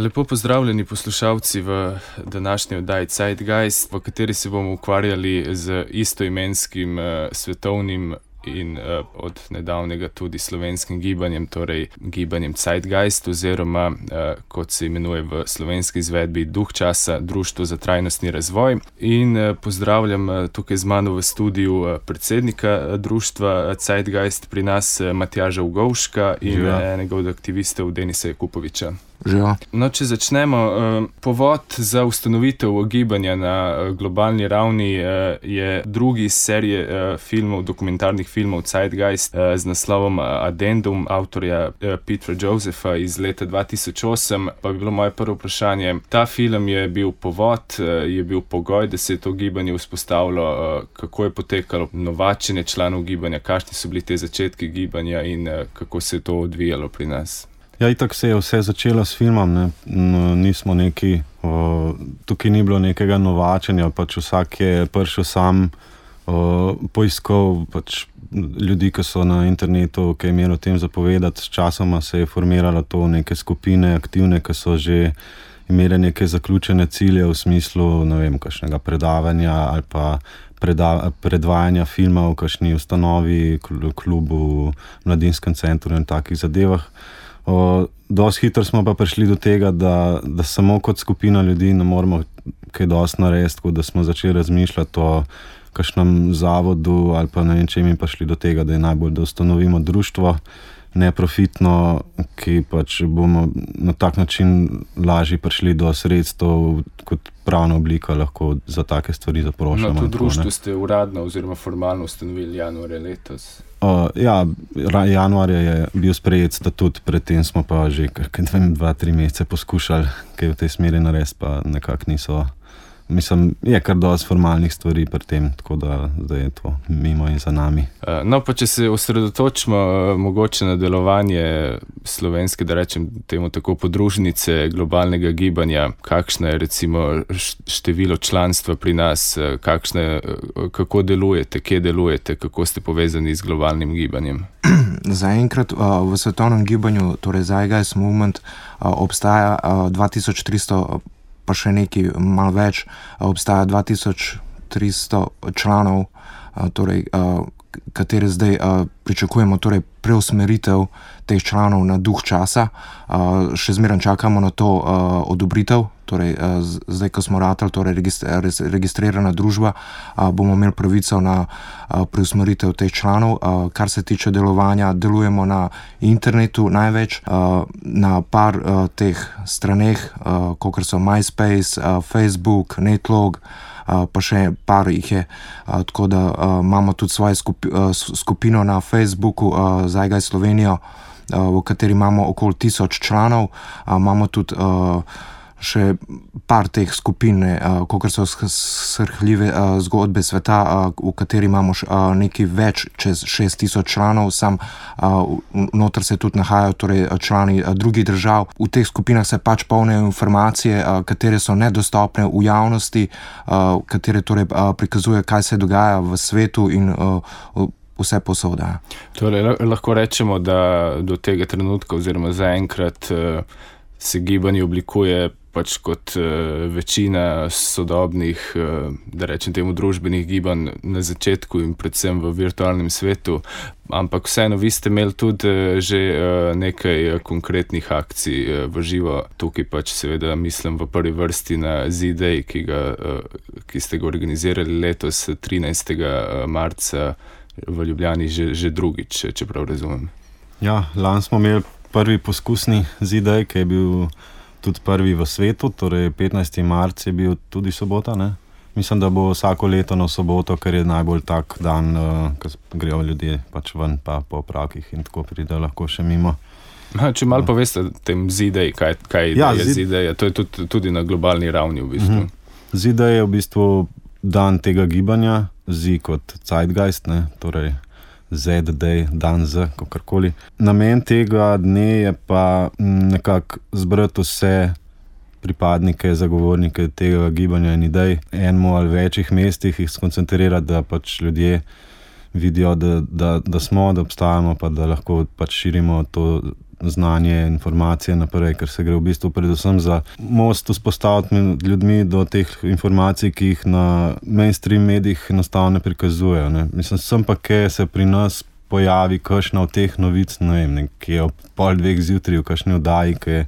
Lepo pozdravljeni poslušalci v današnji oddaji Zeitgeist, v kateri se bomo ukvarjali z istoimenskim svetovnim in od nedavnega tudi slovenskim gibanjem, torej gibanjem Zeitgeist oziroma, kot se imenuje v slovenski izvedbi, Duh časa, Društvo za trajnostni razvoj. In pozdravljam tukaj z mano v studiu predsednika društva Zeitgeist pri nas, Matjaža Ugovška in enega od aktivistov Denisa Jakupoviča. Živijo. No, če začnemo, povod za ustanovitev gibanja na globalni ravni je drugi iz serije filmov, dokumentarnih filmov Zeitgeist z naslovom Addendum avtorja Petera Josepha iz leta 2008. Pa bi bilo moje prvo vprašanje, ta film je bil povod, je bil pogoj, da se je to gibanje vzpostavilo, kako je potekalo novačenje članov gibanja, kakšni so bili te začetki gibanja in kako se je to odvijalo pri nas? Ja, itak se je vse začelo s filmom, ne. Nismo neki, tukaj ni bilo nekega novačenja, pač vsak je prišel sam, poiskal pač ljudi, ki so na internetu, ki je imelo o tem zapovedati. S časoma se je formiralo to neke skupine aktivne, ki so že imele neke zaključene cilje v smislu, ne vem, kakšnega predavanja ali pa predvajanja filma v kakšni ustanovi, klubu, mladinskem centru in takih zadevah. Dosti hitro smo pa prišli do tega, da samo kot skupina ljudi ne moramo kaj dosti narediti, tako da smo začeli razmišljati o kakšnem zavodu ali pa ne vem čem in prišli do tega, da je najbolj, da ustanovimo društvo neprofitno, ki pač bomo na tak način lažje prišli do sredstev, kot pravna oblika lahko za take stvari zaprošamo. No, to društvo ste uradno oziroma formalno ustanovili januarja letos. Ja, januarja je bil sprejet statut, predtem smo pa že 2-3 mesece poskušali kaj v tej smeri narediti, pa nekako niso. Mislim, je kar dosti formalnih stvari pri tem, tako da zdaj je to mimo in za nami. No, pa če se osredotočimo mogoče na delovanje slovenske, da rečem temu tako, podružnice globalnega gibanja, kakšno je recimo število članstva pri nas, kako delujete, kje delujete, kako ste povezani z globalnim gibanjem? Zaenkrat v svetovnem gibanju, torej Zeitgeist Movement, obstaja 2300, pa še nekaj malo več, obstaja 2300 članov, torej, kateri zdaj pričakujemo, torej preusmeritev teh članov na Duh časa. Še zmeraj čakamo na to odobritev, torej zdaj, ko smo ratali, torej registrirana družba, bomo imeli pravico na preusmeritev teh članov. Kar se tiče delovanja, delujemo na internetu največ, na par teh straneh, kakor so MySpace, Facebook, Netlog, pa še par jih je, tako da imamo tudi svojo skupino na Facebooku, Zeitgeist Slovenijo, v kateri imamo okoli 1000 članov. Imamo tudi še par teh skupin, kakor so srhljive zgodbe sveta, v kateri imamo nekaj več, čez 6000 članov, noter se tudi nahajajo torej člani drugih držav. V teh skupinah se pač polnijo informacije, katere so nedostopne v javnosti, katere torej prikazuje, kaj se dogaja v svetu in vse posoda. Torej, lahko rečemo, da do tega trenutka oziroma zaenkrat se gibanje oblikuje pač kot večina sodobnih, da rečem temu, družbenih gibanj na začetku in predvsem v virtualnem svetu, ampak vseeno vi ste imeli tudi že nekaj konkretnih akcij v živo, tukaj pač seveda mislim v prvi vrsti na Z-Day, ki ste ga organizirali letos 13. marca v Ljubljani že drugič, če prav razumem. Ja, lani smo imeli prvi poskusni Z-Day, ki je bil tudi prvi v svetu, torej 15. marc je bil tudi sobota, ne? Mislim, da bo vsako leto na soboto, ker je najbolj tak dan, ko grejo ljudje pač ven pa po opravkih in tako pride lahko še mimo. Če malo poveste tem Z-Day, kaj je Z-Day, to je tudi na globalni ravni v bistvu. Z-Day je v bistvu dan tega gibanja, Z kot Zeitgeist, ne, torej Z-Day, dan Z, kakorkoli. Namen tega dne je pa nekako zbrati vse pripadnike, zagovornike tega gibanja in idej, enemu ali večjih mestih jih skoncentrirati, da pač ljudje vidijo, da smo, da obstajamo, pa da lahko pač širimo to znanje, informacije naprej, ker se gre v bistvu predvsem za most vzpostaviti med ljudmi do teh informacij, ki jih na mainstream medijih enostavno ne prikazujejo. Ne. Mislim, sem pa, kje se pri nas pojavi kakšna od teh novic, ne vem, ki je ob 1:30 zjutraj v kakšni oddaji, ki je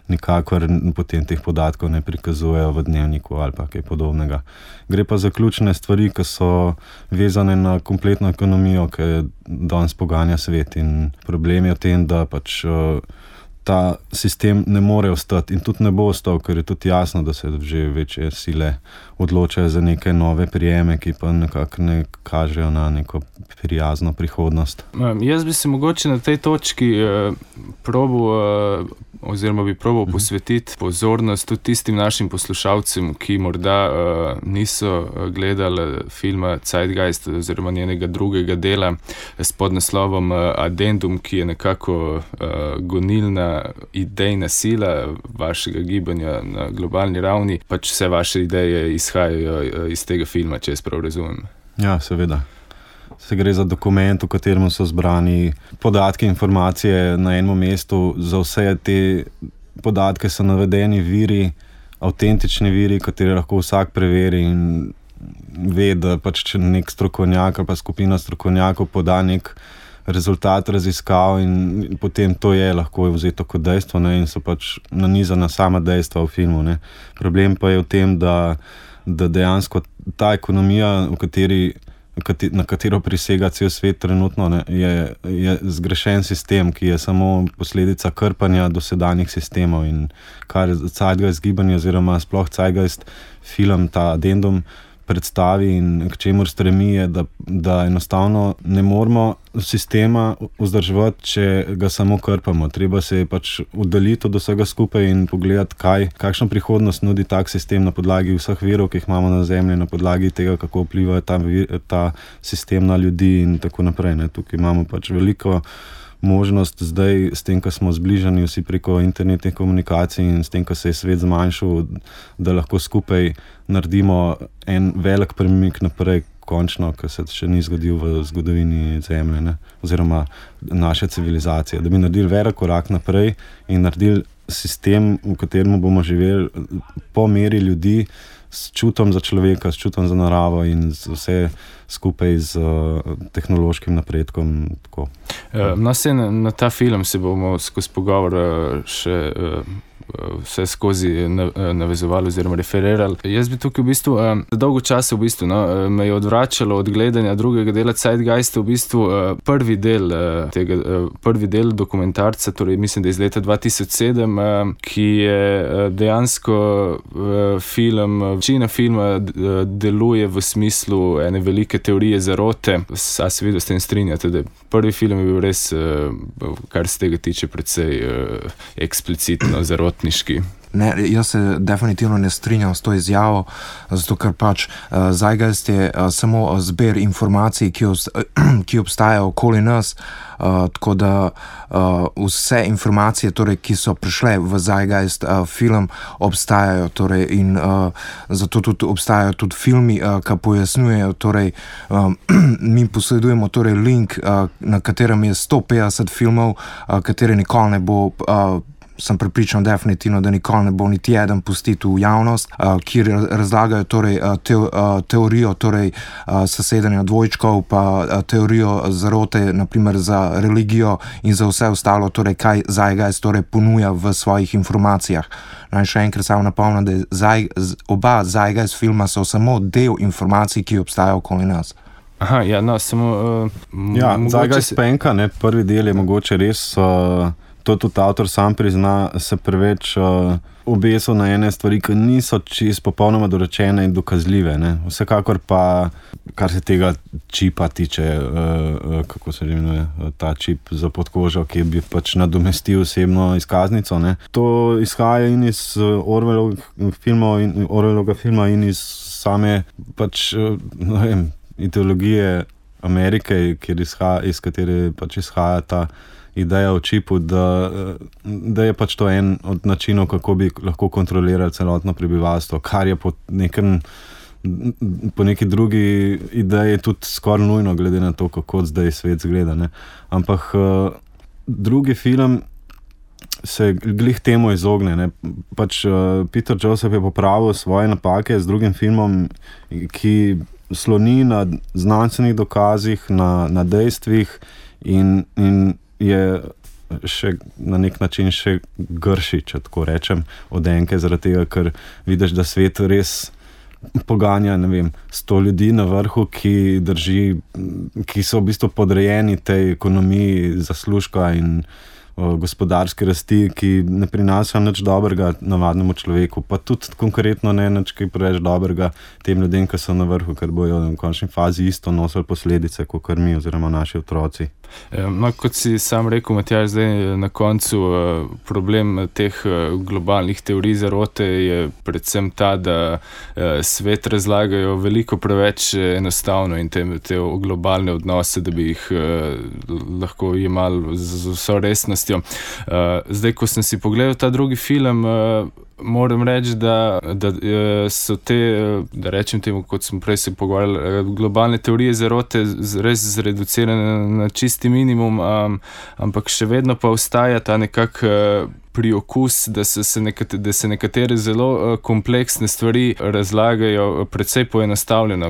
nikakor potem teh podatkov ne prikazujejo v Dnevniku ali pa kaj podobnega. Gre pa za ključne stvari, ki so vezane na kompletno ekonomijo, ki danes poganja svet, in problem je v tem, da pač ta sistem ne more ostati in tudi ne bo ostal, ker je tudi jasno, da se že večje sile odločajo za neke nove prijeme, ki pa nekako ne kažejo na neko prijazno prihodnost. Jaz bi se mogoče na tej točki probal posvetiti pozornost tudi tistim našim poslušalcem, ki morda niso gledali filma Zeitgeist oziroma njenega drugega dela s podnaslovom Addendum, ki je nekako gonilna idejna sila vašega gibanja na globalni ravni. Pač vse vaše ideje izhajajo iz tega filma, če jaz prav razumem. Ja, seveda. Se gre za dokument, v katerem so zbrani podatki, informacije na enem mestu. Za vse te podatke so navedeni viri, avtentični viri, katere lahko vsak preveri in ve, da pač če nek strokovnjak ali pa skupina strokovnjakov poda nek rezultat raziskav in potem to je lahko vzeto kot dejstvo, ne, in so pač nanizana sama dejstva v filmu. Ne. Problem pa je v tem, da dejansko ta ekonomija, na katero prisega cel svet trenutno, ne, je zgrešen sistem, ki je samo posledica krpanja dosedanjih sistemov, in kar Zeitgeist gibanje oziroma sploh Zeitgeist film, ta Addendum, predstavi in k čemur stremi, je, da enostavno ne moramo sistema vzdrževati, če ga samo krpamo. Treba se pač oddaljiti od vsega skupaj in pogledati, kakšno prihodnost nudi tak sistem na podlagi vseh virov, ki jih imamo na Zemlji, na podlagi tega, kako vpliva ta sistem na ljudi in tako naprej. Ne. Tukaj imamo pač veliko možnost zdaj, s tem, ko smo zbližani vsi preko internetnih komunikacij in s tem, ko se je svet zmanjšal, da lahko skupaj naredimo en velik premik naprej, končno, ki se še ni zgodil v zgodovini Zemlje, ne, oziroma naše civilizacije. Da bi naredili velik korak naprej in naredili sistem, v katerem bomo živeli po meri ljudi, s čutom za človeka, s čutom za naravo in vse skupaj z tehnološkim napredkom. Tako. Na ta film se bomo skozi pogovor še vse skozi navezovali oziroma referirali. Jaz bi tukaj v bistvu dolgo časa me je odvračalo od gledanja drugega dela Zeitgeista, v bistvu prvi del dokumentarca, torej mislim, da iz leta 2007, ki je dejansko film, večina filma deluje v smislu ene velike teorije zarote. A se vidno s tem strinjate, da prvi film je bil res, kar se tega tiče, precej eksplicitno zarotniški? Ne, jaz se definitivno ne strinjam s to izjavo, zato ker pač Zeitgeist je samo zbir informacij, ki obstajajo okoli nas, tako da vse informacije, torej, ki so prišle v Zeitgeist film, obstajajo, torej, in zato tudi obstajajo tudi filmi, ki pojasnjujejo, torej, mi posledujemo torej link, na katerem je 150 filmov, kateri nikoli ne bo sem prepričan definitivno, da nikoli ne bo niti eden pustit v javnost, ki razlagajo torej teorijo torej sesedanja dvojčkov, pa teorijo zarote, naprimer za religijo in za vse ostalo, torej kaj Zeitgeist torej ponuja v svojih informacijah. Naj še enkrat samo napomnim, da oba Zeitgeist filma so samo del informacij, ki obstajajo okoli nas. Aha, ja, no, samo Zeitgeist penka, ne, prvi del je mogoče res to tudi avtor sam prizna, se preveč obesil na ene stvari, ki niso čisto popolnoma dorečene in dokazljive. Ne. Vsekakor pa, kar se tega čipa tiče, kako se imenuje, ta čip za podkožo, ki bi pač nadomestil osebno izkaznico. Ne. To izhaja in iz Orwellovega filma in iz same pač, ne vem, ideologije Amerike, iz katere pač izhaja ta ideja o čipu, da je pač to en od načinov, kako bi lahko kontrolirali celotno prebivalstvo, kar je po neki drugi ideji tudi skoraj nujno, glede na to, kako zdaj svet zgleda. Ne. Ampak drugi film se glih temu izogne. Ne. Pač Peter Joseph je popravil svoje napake z drugim filmom, ki sloni na znanstvenih dokazih, na dejstvih in je še na nek način še grši, če tako rečem, od Enke, zaradi tega, ker vidiš, da svet res poganja, 100 ljudi na vrhu, ki so v bistvu podrejeni tej ekonomiji zaslužka in gospodarske rasti, ki ne prinaša nič dobrega navadnemu človeku, pa tudi konkretno ne nič kaj preveč dobrega tem ljudem, ki so na vrhu, ker bojo v končni fazi isto nosili posledice, kot mi oziroma naši otroci. No, kot si sam rekel, Matjaž, zdaj na koncu problem teh globalnih teorij zarote je predvsem ta, da svet razlagajo veliko preveč enostavno in te globalne odnose, da bi jih lahko jemali z vso resnostjo. Zdaj, ko sem si pogledal ta drugi film, moram reči, da so te, da rečem temu, kot smo prej se pogovarjali, globalne teorije zarote res zreducirane na čisti minimum, ampak še vedno pa ostaja ta nekak priokus, da se nekatere zelo kompleksne stvari razlagajo precej poenostavljeno,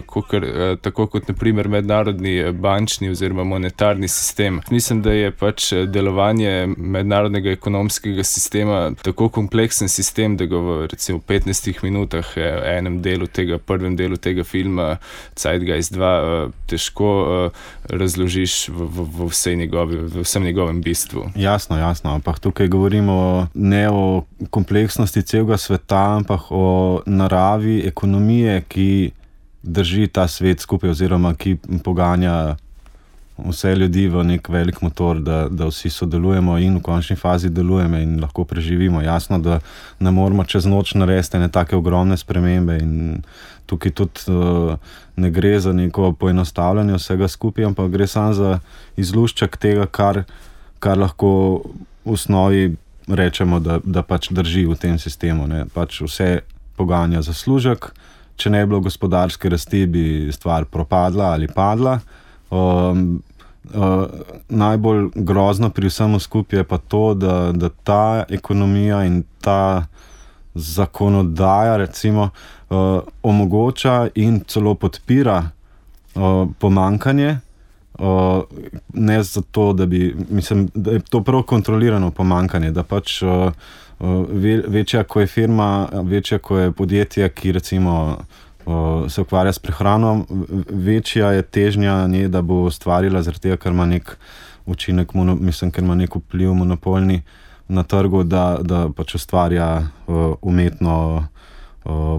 tako kot na primer mednarodni bančni oziroma monetarni sistem. Mislim, da je pač delovanje mednarodnega ekonomskega sistema tako kompleksen sistem, da ga v recimo 15 minutah prvem delu tega filma Zeitgeist 2 težko razložiš v vsem njegovem bistvu. Jasno, ampak tukaj govorimo ne o kompleksnosti celega sveta, ampak o naravi ekonomije, ki drži ta svet skupaj oziroma ki poganja vse ljudi v nek velik motor, da vsi sodelujemo in v končni fazi delujemo in lahko preživimo. Jasno, da ne moramo čez noč narediti ene take ogromne spremembe in tukaj tudi ne gre za neko poenostavljanje vsega skupaj, ampak gre samo za izlušček tega, kar lahko v osnovi rečemo, da pač drži v tem sistemu. Ne. Pač vse poganja zaslužek, če ne bi bilo gospodarske rasti, bi stvar propadla ali padla. Najbolj grozno pri vsemu skupaj je pa to, da ta ekonomija in ta zakonodaja recimo omogoča in celo podpira pomanjkanje, ne zato, da je to prav kontrolirano pomanjkanje, da pač večja ko je firma, večja ko je podjetje, ki recimo se ukvarja s prehrano, večja je težnja nje, da bo ustvarila zaradi tega, ker ima nek učinek, ker ima nek vpliv monopolni na trgu, da pač ustvarja umetno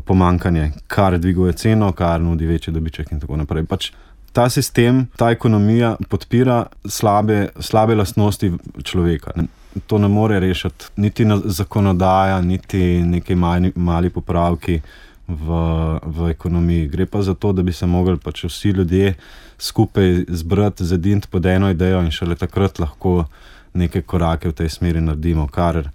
pomanjkanje, kar dviguje ceno, kar nudi večji dobiček in tako naprej. Pač ta sistem, ta ekonomija podpira slabe lastnosti človeka. To ne more rešiti niti zakonodaja, niti neki mali popravki v ekonomiji. Gre pa za to, da bi se mogli pač vsi ljudje skupaj zbrati, zediniti pod eno idejo in šele takrat lahko neke korake v tej smeri naredimo, kar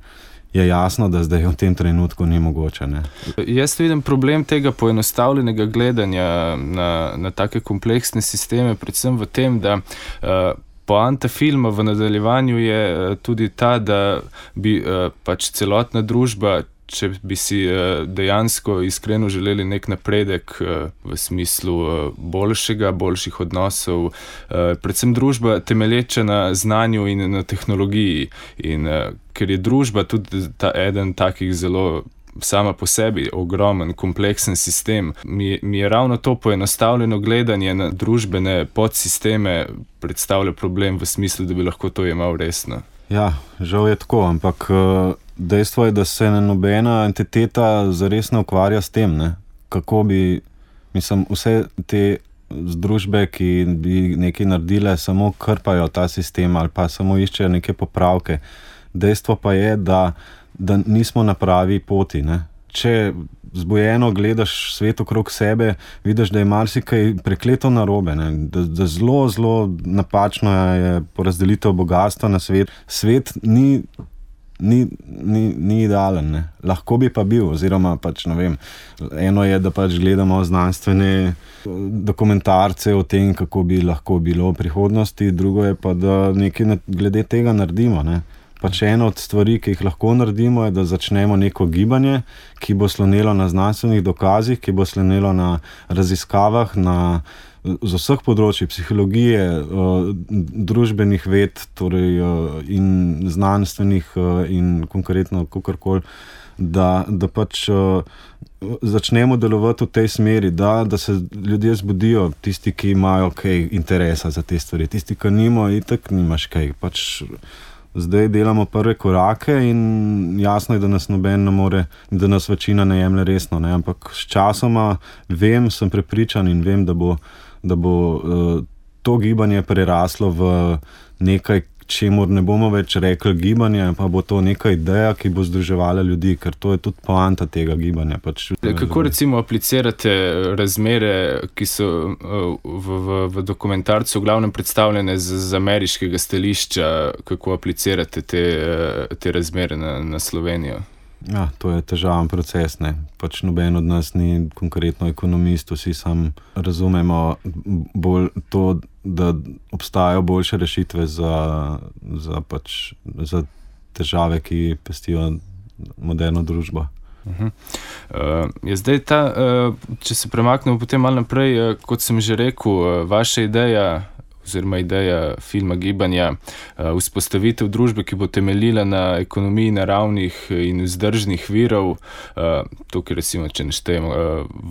je jasno, da zdaj v tem trenutku ni mogoče. Ne? Jaz vidim problem tega poenostavljenega gledanja na take kompleksne sisteme, predvsem v tem, da poanta filma v nadaljevanju je tudi ta, da bi pač celotna družba, če bi si dejansko iskreno želeli nek napredek v smislu boljših odnosov, predvsem družba temelječa na znanju in na tehnologiji. In ker je družba tudi eden takih zelo sama po sebi ogromen, kompleksen sistem, mi je ravno to poenostavljeno gledanje na družbene podsisteme predstavlja problem v smislu, da bi lahko to jemal resno. Ja, žal je tako, ampak dejstvo je, da se nobena entiteta zares ne ukvarja s tem, ne? Kako bi, vse te združbe, ki bi nekaj naredile, samo krpajo ta sistem ali pa samo iščejo neke popravke. Dejstvo pa je, da nismo na pravi poti, ne? Če zbujeno gledaš svet okrog sebe, vidiš, da je marsikaj prekleto narobe, ne? Da zelo napačno je porazdelitev bogastva na svet. Svet ni idealen, ne? Lahko bi pa bil, oziroma pač ne vem, eno je, da pač gledamo znanstvene dokumentarce o tem, kako bi lahko bilo v prihodnosti, drugo je pa, da nekaj glede tega naredimo, ne? pač ena od stvari, ki jih lahko naredimo, je, da začnemo neko gibanje, ki bo slonelo na znanstvenih dokazih, ki bo slonelo na raziskavah, z vseh področji, psihologije, družbenih ved, torej in znanstvenih in konkretno kakorkoli, da pač začnemo delovati v tej smeri, da se ljudje zbudijo, tisti, ki imajo kaj interesa za te stvari, tisti, ki nimajo, itak nimaš kaj. Pač zdaj delamo prve korake in jasno je, da nas noben ne more, da nas večina ne jemlje resno, ne? Ampak s časoma sem prepričan in vem, da bo to gibanje preraslo v nekaj, čemur ne bomo več rekli gibanje, pa bo to neka ideja, ki bo združevala ljudi, ker to je tudi poanta tega gibanja. Kako recimo aplicirate razmere, ki so v dokumentarcu v glavnem predstavljene z ameriškega stališča, kako aplicirate te razmere na Slovenijo? Ja, to je težaven proces, ne. Pač noben od nas ni konkretno ekonomist, vsi sam razumemo bolj to, da obstajajo boljše rešitve za težave, ki pestijo moderno družbo. Je zdaj če se premaknemo potem malo naprej, kot sem že rekel, vaša ideja oziroma ideja filma Gibanja, vzpostavitev družbe, ki bo temeljila na ekonomiji naravnih in vzdržnih virov, tukaj recimo, če neštejemo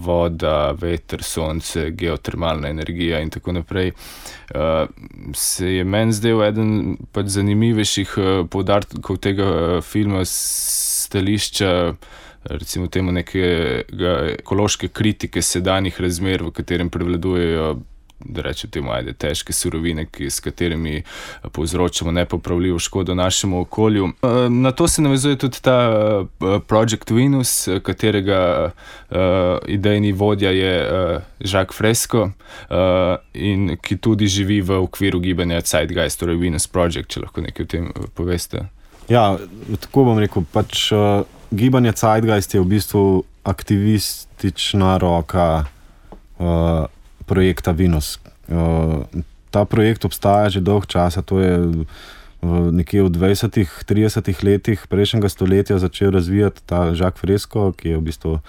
voda, veter, sonce, geotermalna energija in tako naprej, se je meni zdel eden pač zanimivejših poudarkov tega filma stališča, recimo temu nekega ekološke kritike sedanjih razmer, v katerem prevladujejo, da rečem temu, težke surovine, s katerimi povzročamo nepopravljivo škodo našemu okolju. Na to se navezuje tudi ta Project Venus, katerega idejni vodja je Jacques Fresco in ki tudi živi v okviru gibanja Zeitgeist, torej Venus Project, če lahko nekaj o tem poveste. Ja, tako bom rekel, pač gibanje Zeitgeist je v bistvu aktivistična roka projekta Venus. Ta projekt obstaja že dolg časa, to je nekje v 20-30 letih prejšnjega stoletja začel razvijati ta Jacques Fresco, ki je v bistvu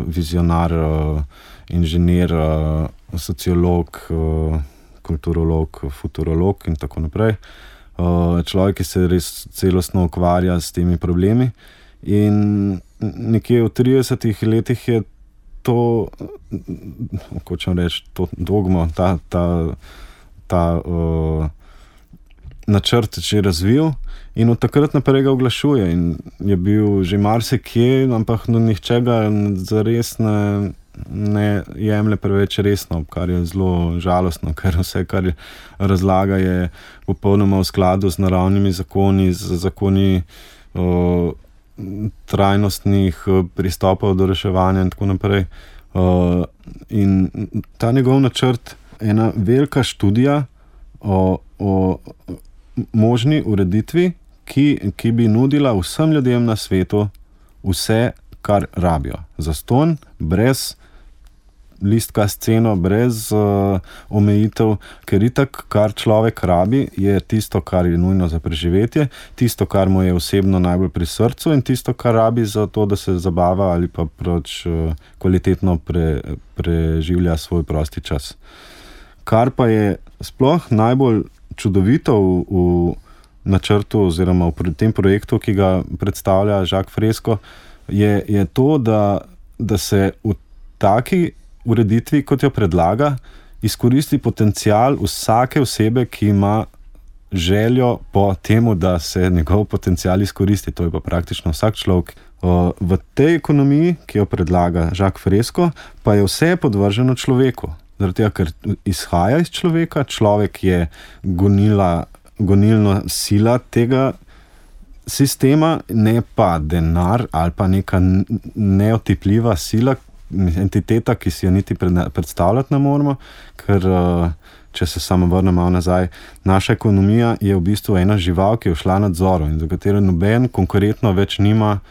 vizionar, inženir, sociolog, kulturolog, futurolog in tako naprej. Človek, ki se res celostno ukvarja s temi problemi. In nekje v 30 letih je to, hočem reči, to dogmo, ta načrt že razvil in od takrat naprej ga oglašuje in je bil že marsikje, ampak nihče ga zares ne jemlje preveč resno, kar je zelo žalostno, ker vse, kar razlaga, je popolnoma v skladu z naravnimi zakoni, z zakoni trajnostnih pristopov do reševanja in tako naprej. In ta njegov načrt je ena velika študija o možni ureditvi, ki bi nudila vsem ljudem na svetu vse, kar rabijo. Zastonj, brez listka s ceno, brez omejitev, ker itak, kar človek rabi, je tisto, kar je nujno za preživetje, tisto, kar mu je osebno najbolj pri srcu in tisto, kar rabi za to, da se zabava ali pa kvalitetno preživlja svoj prosti čas. Kar pa je sploh najbolj čudovito v načrtu oziroma v tem projektu, ki ga predstavlja Jacques Fresco, je to, da se v taki ureditvi, kot jo predlaga, izkoristi potencial vsake osebe, ki ima željo po temu, da se njegov potencial izkoristi. To je pa praktično vsak človek. V tej ekonomiji, ki jo predlaga Jacques Fresco, pa je vse podvrženo človeku. Zaradi tega, ker izhaja iz človeka, človek je gonilna sila tega sistema, ne pa denar ali pa neka neotipljiva sila, entiteta, ki si jo niti predstavljati ne moremo, ker če se samo vrnem malo nazaj, naša ekonomija je v bistvu ena žival, ki je šla nadzoru in za katero noben konkretno več nima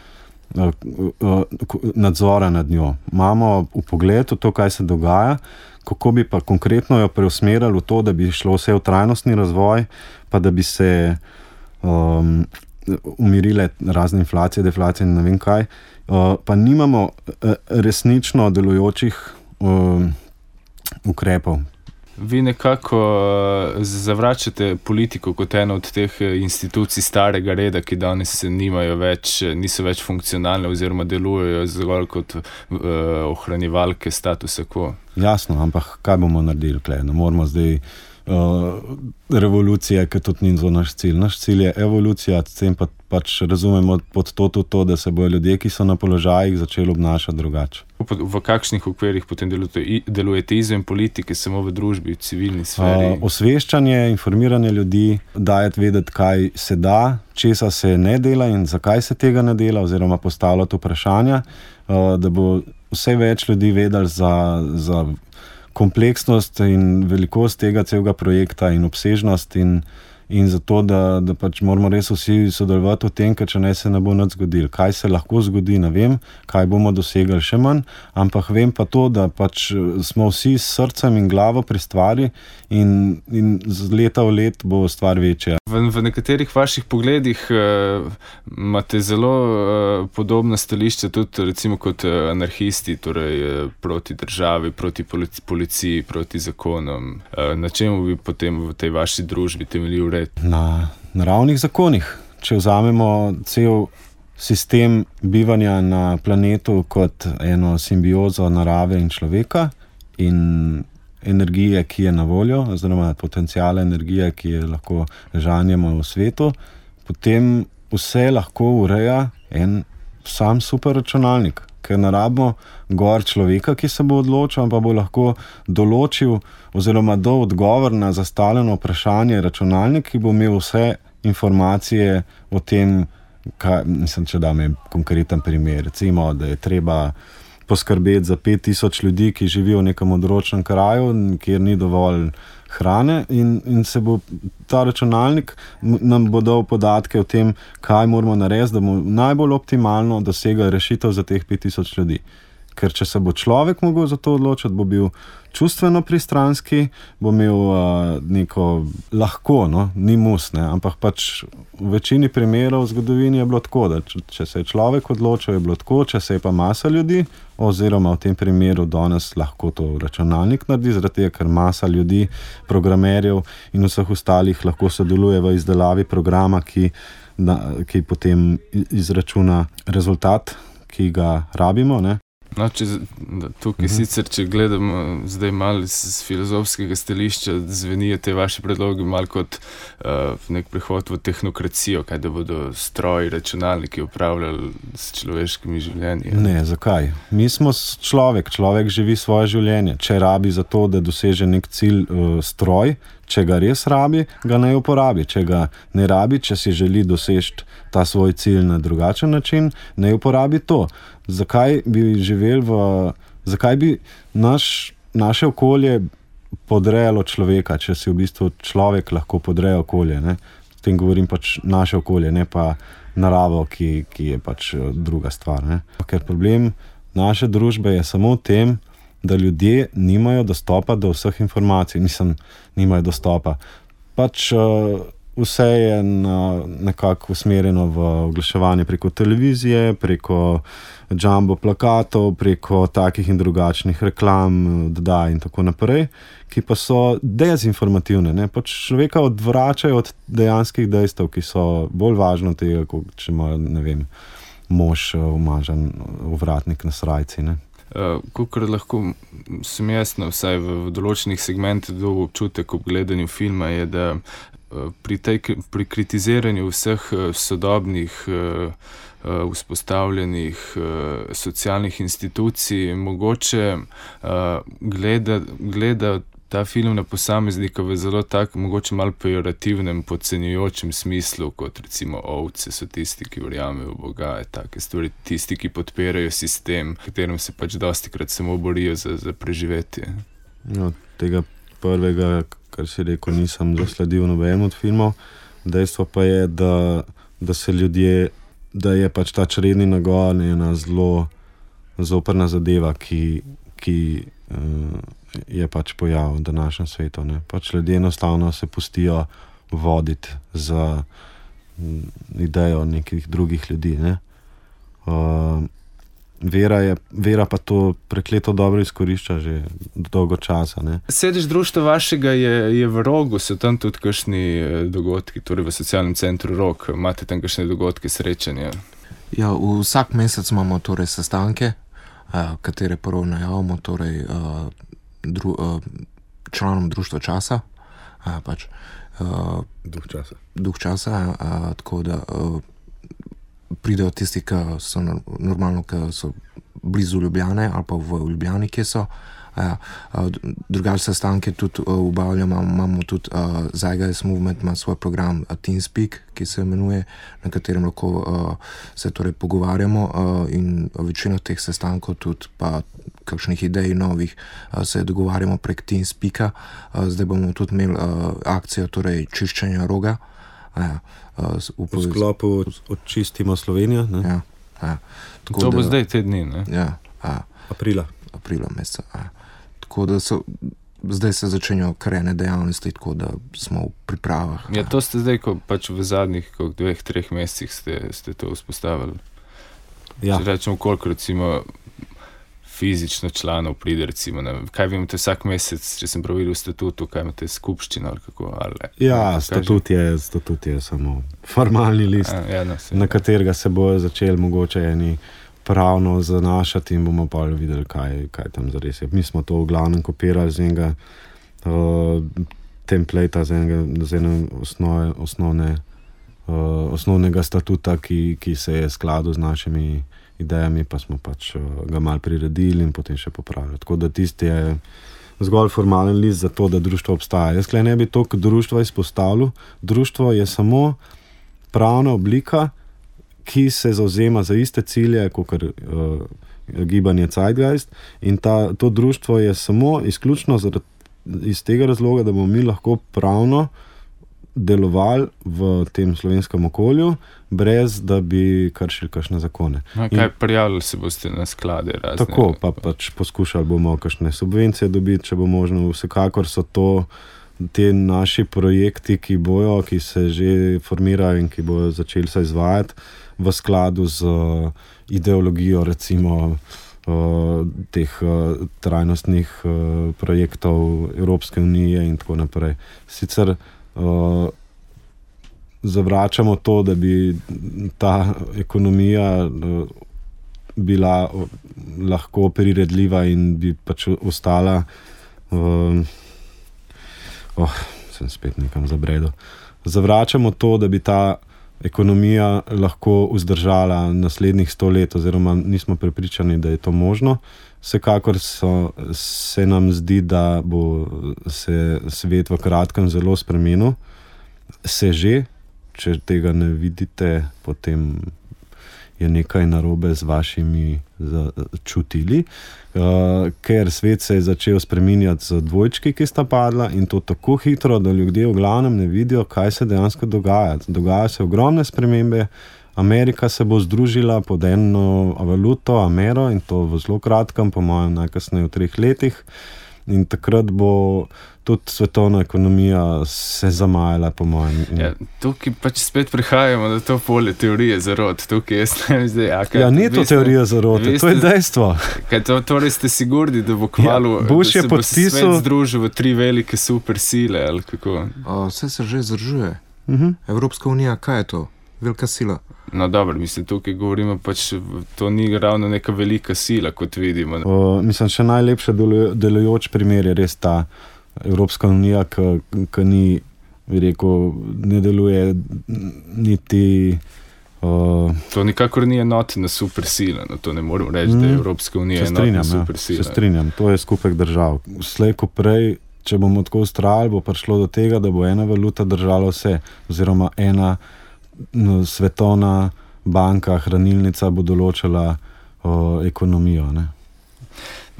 nadzora nad njo. Imamo v pogledu to, kaj se dogaja, kako bi pa konkretno jo preusmerili v to, da bi šlo vse v trajnostni razvoj, pa da bi se umirile razne inflacije, deflacije in ne vem kaj, pa nimamo resnično delujočih ukrepov. Vi nekako zavračate politiko kot eno od teh institucij starega reda, ki danes niso več funkcionalne oziroma delujejo zgolj kot ohranjevalke statusa quo. Jasno, ampak kaj bomo naredili tukaj? Ne moramo zdaj revolucije, ker tudi ni to naš cilj. Naš cilj je evolucija, s tem pač razumemo pod to, da se bojo ljudje, ki so na položajih, začeli obnašati drugače. V kakšnih okvirih potem delujete izven politike, samo v družbi, v civilni sferi? Osveščanje, informiranje ljudi, dajati vedeti, kaj se da, česa se ne dela in zakaj se tega ne dela, oziroma postavljati vprašanja, da bo vse več ljudi vedeli za kompleksnost in velikost tega celega projekta in obsežnost in zato, da pač moramo res vsi sodelovati v tem, ker če ne se ne bo nič zgodilo. Kaj se lahko zgodi, ne vem, kaj bomo dosegli še manj, ampak vem pa to, da pač smo vsi s srcem in glavo pri stvari in z leta v let bo stvar večja. V nekaterih vaših pogledih imate zelo podobna stališča tudi recimo kot anarhisti, torej proti državi, proti policiji, proti zakonom. Na čemu bi potem v tej vaši družbi temeljil red? Na naravnih zakonih. Če vzamemo cel sistem bivanja na planetu kot eno simbiozo narave in človeka in energije, ki je na voljo, oziroma potencijala energije, ki je lahko žanjemo v svetu, potem vse lahko ureja en sam superračunalnik, ker ne rabimo gor človeka, ki se bo odločil, pa bo lahko določil oziroma dal odgovor na zastavljeno vprašanje računalnik, ki bo imel vse informacije o tem, če dam konkreten primer, recimo, da je treba poskrbeti za 5000 ljudi, ki živijo v nekem odročnem kraju, kjer ni dovolj hrane in se bo ta računalnik nam bo dal podatke o tem, kaj moramo narediti, da bomo najbolj optimalno dosegli rešitev za teh 5000 ljudi. Ker če se bo človek mogel za to odločiti, bo bil čustveno pristranski, bo imel neko lahko, ni mus, ampak pač v večini primerov v zgodovini je bilo tako, da če se je človek odločil, je bilo tako, če se je pa masa ljudi, oziroma v tem primeru danes lahko to računalnik naredi, zaradi tega, ker masa ljudi, programerjev in vseh ostalih lahko sodeluje v izdelavi programa, ki potem izračuna rezultat, ki ga rabimo, ne. No, tukaj sicer, če gledamo zdaj malo z filozofskega stališča, zvenijo te vaše predloge malo kot nek prehod v tehnokracijo, kaj da bodo stroji, računalniki upravljali s človeškimi življenji. Ne, zakaj? Mi smo človek živi svoje življenje. Če rabi za to, da doseže nek cilj stroj, če ga res rabi, ga naj uporabi. Če ga ne rabi, če si želi doseči ta svoj cilj na drugačen način, naj uporabi to. Zakaj bi naše okolje podrejalo človeka, če si v bistvu človek lahko podreja okolje, ne? S tem govorim pač naše okolje, ne pa naravo, ki je pač druga stvar, ne? Ker problem naše družbe je samo v tem, da ljudje nimajo dostopa do vseh informacij. Nimajo dostopa. Pač vse je nekako usmerjeno v oglaševanje preko televizije, preko jumbo plakatov, preko takih in drugačnih reklam, in tako naprej, ki pa so dezinformativne, ne? Pač človeka odvračajo od dejanskih dejstev, ki so bolj važno tega, kot če ima, ne vem, mož umažen ovratnik na srajci, ne. Kakor lahko sem jasno, vsaj v določenih segmentih dobil občutek ob gledanju filma, je, da pri kritiziranju vseh sodobnih vzpostavljenih socialnih institucij mogoče gleda ta film na posameznika v zelo tak, mogoče malo pejorativnem, podcenjujočem smislu, kot recimo ovce so tisti, ki verjamejo v Boga, take stvari, tisti, ki podpirajo sistem, v katerem se pač dostikrat samo borijo za preživetje. No, tega prvega, kar si rekel, nisem zasledil nobenemu od filmov. Dejstvo pa je, da se ljudje, da je pač ta čredni nagon ena zelo zoprna zadeva, ki je pač pojav v današnjem svetu, ne. Pač ljudje enostavno se pustijo voditi za idejo nekih drugih ljudi. Ne? Vera pa to prekleto dobro izkorišča že dolgo časa. Ne? Sedež društva vašega je v Rogu, so tam tudi kakšni dogodki, torej v socialnem centru Rog, imate tam kakšne dogodke, srečanja? Ja, vsak mesec imamo torej sestanke, katere prvo najavimo torej članom društva časa, pač duh časa, tako da pridejo tisti, ki so normalno, ki so blizu Ljubljane ali pa v Ljubljani, kje so. Drugače sestanke tudi obavljamo, imamo tudi Zeitgeist Movement ima svoj program TeamSpeak, ki se imenuje, na katerem lahko se torej pogovarjamo in večino teh sestankov tudi pa kakšnih idej novih se dogovarjamo prek TeamSpeaka. Zdaj bomo tudi imeli akcijo torej čiščenja Roga. V sklopu Očistimo Slovenijo. Ne? To bo zdaj te dni, ne? Ja. Aprila meseca. Tako da zdaj se začenjajo kar ene dejavnosti, tako da smo v pripravah. Ja, to ste zdaj, ko pač v zadnjih 2-3 mesecih ste to vzpostavili. Ja. Če rečemo, koliko recimo fizično članov pride, recimo, kaj vi imate vsak mesec, če sem prav videl v statutu, kaj imate skupščino ali kako? Statut je samo formalni list, na katerega se bojo začeli mogoče eni pravno zanašati in bomo pa videli, kaj tam zares je. Mi smo to v glavnem kopirali z enega templata, z enega osnovnega statuta, ki se je skladal z našimi idejami, pa smo pač ga malo priredili in potem še popravili. Tako da tisti je zgolj formalen list za to, da društvo obstaja. Jaz ne bi to društva izpostavil. Društvo je samo pravna oblika, ki se zavzema za iste cilje, kot gibanje Zeitgeist, in to društvo je samo izključno iz tega razloga, da bomo mi lahko pravno delovali v tem slovenskem okolju, brez da bi kršili kakšne zakone. Kaj prijavili se boste na sklade razne? Tako, pa pač poskušali bomo kakšne subvencije dobiti, če bo možno. Vsekakor so to te naši projekti, ki se že formirajo in ki bojo začeli se izvajati v skladu z ideologijo recimo teh trajnostnih projektov Evropske unije in tako naprej. Sicer zavračamo to, da bi ta ekonomija bila lahko priredljiva in bi pač ostala sem spet nekam zabredel. Zavračamo to, da bi ta ekonomija lahko vzdržala naslednjih 100 let, oziroma nismo prepričani, da je to možno. Vsekakor se nam zdi, da bo se svet v kratkem zelo spremenil. Se že, če tega ne vidite, potem je nekaj narobe z vašimi čutili, ker svet se je začel spreminjati z dvojčki, ki sta padla, in to tako hitro, da ljudje v glavnem ne vidijo, kaj se dejansko dogaja. Dogajajo se ogromne spremembe. Amerika se bo združila pod eno valuto, Amero, in to v zelo kratkem, po mojem najkasneje v 3 letih. In takrat bo tudi svetovna ekonomija se zamajala, po mojem. Ja, tukaj pač spet prihajamo do to polje teorije zarot. Tukaj jaz ne vem zdaj. Ni to teorija zarote, to je dejstvo. Torej ste sigurni, da bo kmalu, da se bo svet združil v 3 velike super sile, ali kako? Vse se že združuje. Evropska unija, kaj je to? Velika sila. No dobro, mislim, tukaj govorimo pač, to ni ravno neka velika sila, kot vidimo. Mislim, še najlepše delujoč primer je res ta Evropska unija, ki ni, bi rekel, ne deluje niti... To nikakor ni enotna super sila, no to ne moram reči, da je Evropska unija enotna super sila. Se strinjam, to je skupek držav. Slej ko prej, če bomo tako ustrajali, bo prišlo do tega, da bo ena valuta držala vse, oziroma ena svetovna banka, hranilnica bo določila ekonomijo. Ne?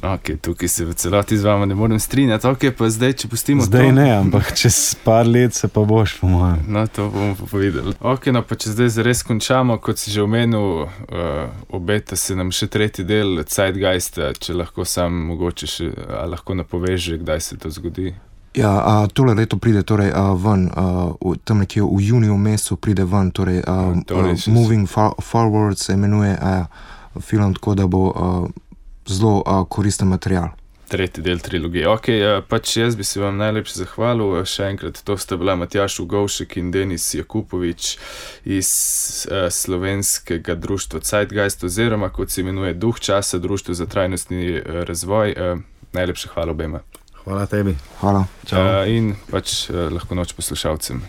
Ok, tukaj se v celoti z vama ne morem strinjati. Ok, pa zdaj, če pustimo zdaj to... ne, ampak čez par let se pa boš, po mojem. No, to bomo pa povedali. Ok, no, pa če zdaj zares končamo, kot si že omenil, obeta se nam še 3. del Zeitgeista, če lahko sam mogoče še, lahko napoveš, kdaj se to zgodi. Ja, tole leto pride torej ven, tam nekje v juniju mesecu pride ven, torej Moving Forward se imenuje film, tako da bo zelo koristen material. Tretji del trilogije. Ok, pač jaz bi se vam najlepše zahvalil. Še enkrat, to sta bila Matjaž Ugovšek in Denis Jakupovič iz slovenskega društva Zeitgeist, oziroma kot se imenuje Duh časa, Društvo za trajnostni razvoj. Najlepše hvala obema. Hvala tebi. Hvala. Čau. In pač lahko noč poslušalcem.